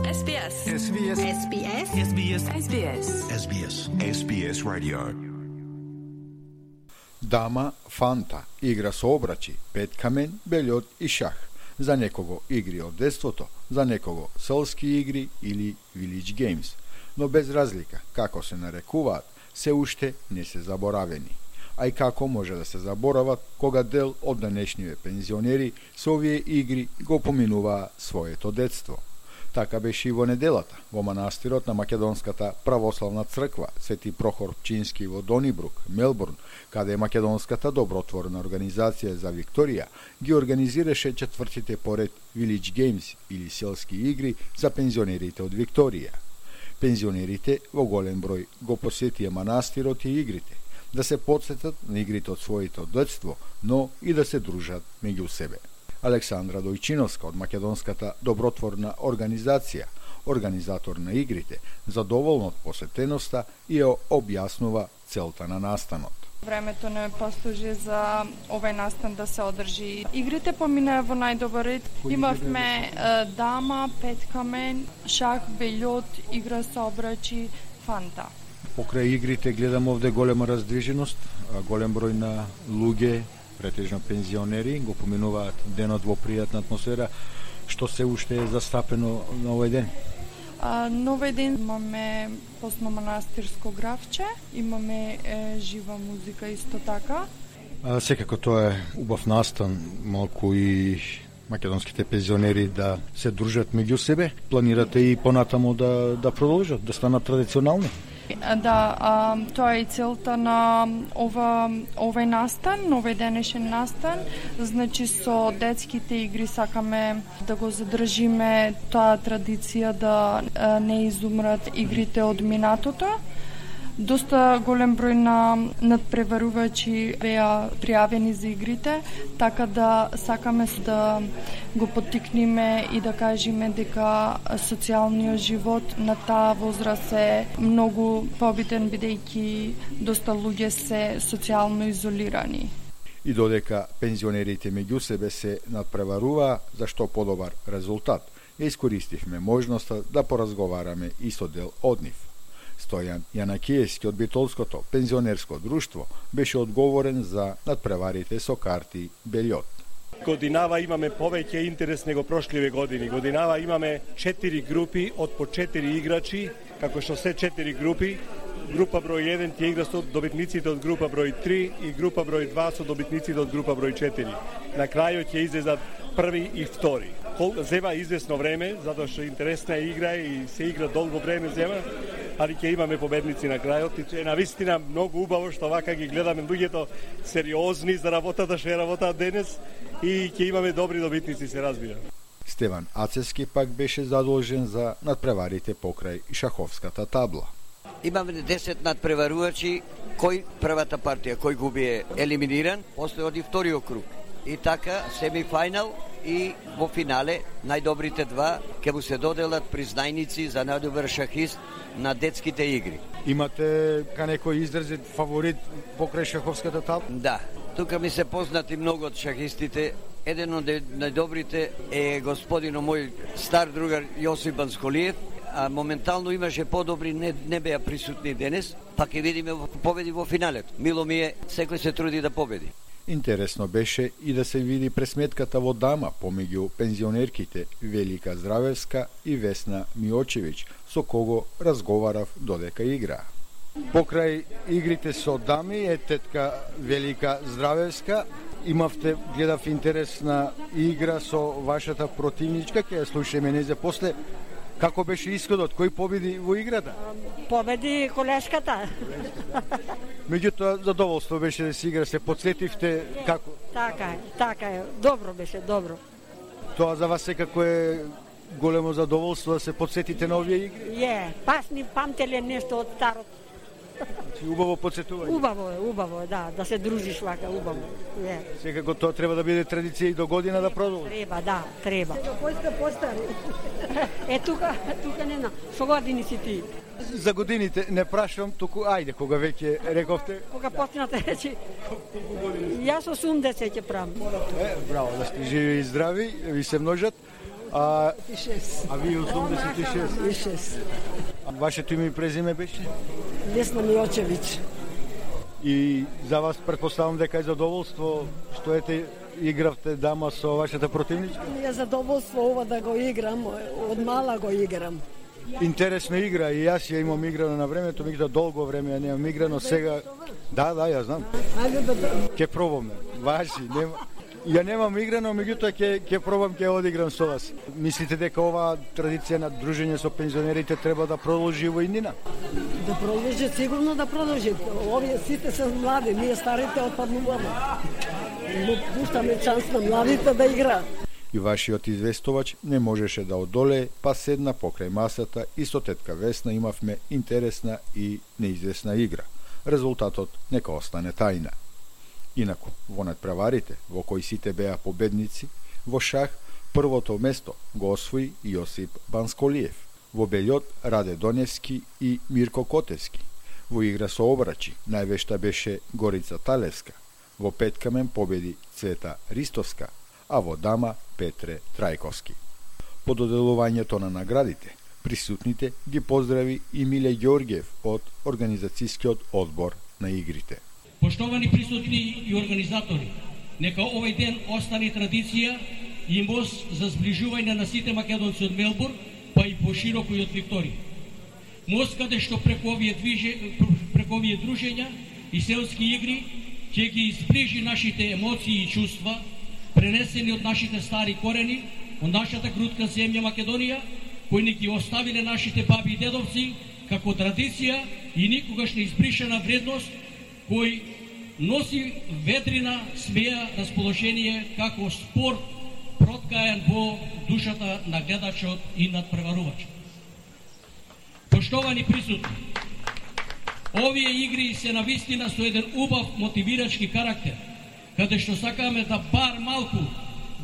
SBS. SBS. SBS. SBS. SBS. SBS. SBS Radio. Дама, фанта, игра со обрачи, пет камен, бельот и шах. За некого игри од детството, за некого селски игри или village games. Но без разлика како се нарекуваат, се уште не се заборавени. А и како може да се заборават кога дел од денешниве пензионери со овие игри го поминуваа своето детство. Така беше и во неделата, во манастирот на Македонската православна црква Свети Прохор Пчински во Донибрук, Мелбурн, каде Македонската добротворна организација за Викторија ги организираше четвртите поред Village Games или селски игри за пензионерите од Викторија. Пензионерите во голем број го посетија манастирот и игрите, да се потсетат на игрите од своето детство, но и да се дружат меѓу себе. Александра Дојчиновска од Македонската добротворна организација, организатор на игрите, задоволна од посетеноста и ја објаснува целта на настанот. Времето не послужи за овој настан да се одржи. Игрите поминаа во најдобар ред. Имавме дама, пет камен, шах, бельот, игра со обрачи, фанта. Покрај игрите гледам овде голема раздвиженост, голем број на луѓе, претежно пензионери, го поминуваат денот во пријатна атмосфера. Што се уште е застапено на овој ден? На овој ден имаме постно-манастирско гравче, имаме жива музика исто така. Секако тоа е убав настан, малку и македонските пензионери да се дружат меѓу себе. Планирате и понатамо да продолжат, да станат традиционални? Да, тоа е и целта на овој настан, овој денешен настан. Значи со детските игри сакаме да го задржиме таа традиција да не изумрат игрите од минатото. Доста голем број на надпреварувачи беа пријавени за игрите, така да сакаме да го поттикнеме и да кажеме дека социјалниот живот на таа возраст е многу побитен, бидејќи доста луѓе се социјално изолирани. И додека пензионерите меѓу себе се надпреваруваа за што подобар резултат, ја искористивме можноста да поразговараме и со дел од нив. Стојан Јанакиевски од Битолското пензионерско друштво беше одговорен за надпреварите со карти бельот. Годинава имаме повеќе интерес него прошливе години. Годинава имаме 4 групи од по 4 играчи, како што се 4 групи. Група број 1 ќе игра со добитниците од група број 3 и група број 2 со добитниците од група број 4. На крајот ќе излезат први и втори. Зема известно време, затоа што интересна игра и се игра долго време зема, али ќе имаме победници на крајот и е навистина многу убаво што вака ги гледаме луѓето сериозни за работата што ја работаат денес и ќе имаме добри добитници, се разбира. Стеван Ацевски пак беше задолжен за надпреварите покрај шаховската табла. Имаме 10 надпреварувачи, кој првата партија, кој губи е елиминиран, после оди вториот круг. И така, семифајнал и во финале, најдобрите два ќе му се доделат признајници за најдобар шахист на детските игри. Имате некој изразет фаворит покрај шаховската табла? Да, тука ми се познати многу од шахистите. Еден од најдобрите е господино мој стар другар Јосип Бансколиев, а моментално имаше подобри, не беа присутни денес, па ќе видиме победи во финалето. Мило ми е, секој се труди да победи. Интересно беше и да се види пресметката во дама помеѓу пензионерките Велика Здравевска и Весна Миочевиќ, со кого разговарав додека игра. Покрај игрите со дами е тетка Велика Здравевска. Имавте, гледав, интересна игра со вашата противничка, ќе ја слушаме незе после. Како беше исходот? Кој победи во играта? Победи колешката. Меѓутоа, задоволство беше да се игра, се подсетивте како? Така е. Добро беше, добро. Тоа за вас секако е големо задоволство да се подсетите на овие игри? Пасни памтеле нешто од старот. Убаво подсетување. Убаво е, да се дружиш вака, убаво. Секако тоа треба да биде традиција и до година да продолжи. Треба. Постари. Тука не на, со години си ти. За годините не прашувам, туку ајде, кога веќе рековте? Кога почнате речи. Јас 80 ќе правам. Браво, да сте живи и здрави, ви се множат. А 86. а вие 86. 86. Вашето име и презиме беше? Весна Миочевиќ. И за вас претпоставам дека е задоволство што ете игравте дама со вашата противничка? Ми е задоволство ова да го играм, од мала го играм. Интересна игра и јас ја имам играно на времето, меѓутоа долго време ја немам играно, сега да, ја знам. Ајде да Ќе пробаме. Важи, нема. Ја немам играно, меѓутоа ќе пробам, ќе одиграм со вас. Мислите дека оваа традиција на дружење со пензионерите треба да продолжи во иднина? Да продолжи, сигурно да продолжи. Овие сите се млади, ние старите отпаднуваме. Но пуштаме шанс на младите да играат. И вашиот известувач не можеше да одолее, па седна покрај масата и со тетка Весна имавме интересна и неизвестна игра. Резултатот нека остане тајна. Инаку, во надпреварите, во кои сите беа победници, во шах првото место го освои Јосип Бансколиев, во белјот Раде Доневски и Мирко Котевски. Во игра со обрачи највешта беше Горица Талевска, во петкамен победи Цвета Ристовска, а во дама Петре Трајковски. По доделувањето на наградите, присутните ги поздрави и Миле Ѓорѓев од организацијскиот одбор на игрите. Поштовани присутни и организатори, нека овој ден остане традиција и мост за зближување на сите македонци од Мелбурн, па и пошироко и од Викторија. Мост каде што преку овие дружења и селски игри ќе ги изближи нашите емоции и чувства, пренесени од нашите стари корени, од нашата крутка земја Македонија, кои ни ги оставиле нашите баби и дедовци како традиција и никогаш не избришена вредност, кој носи ведрина, смеја, расположение како спорт проткаен во душата на гледачот и надпреварувачот. Поштовани присутни, овие игри се навистина со еден убав мотивирачки карактер, каде што сакаме да бар малку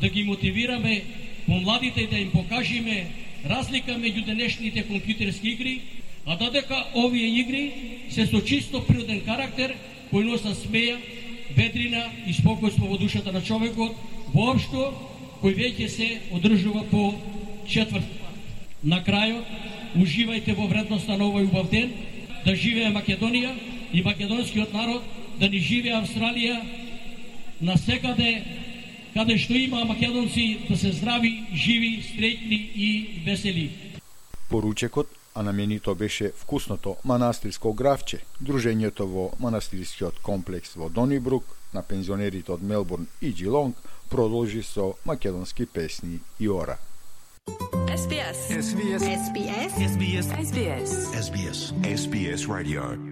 да ги мотивираме помладите и да им покажеме разлика меѓу денешните компјутерски игри, а додека овие игри се со чисто природен карактер, кој носа смеја, ведрина и спокојство во душата на човекот, воопшто кој веќе се одржува по четврт. На крајот, уживајте во вредноста на овој убав ден, да живее Македонија и македонскиот народ, да ни живее Австралија, насекаде каде што има македонци, да се здрави, живи, среќни и весели. Поручекот, а наменито беше вкусното манастирско гравче, дружењето во манастирскиот комплекс во Донибрук, на пензионерите од Мелбурн и Джилонг, продолжи со македонски песни и ора. SBS Radio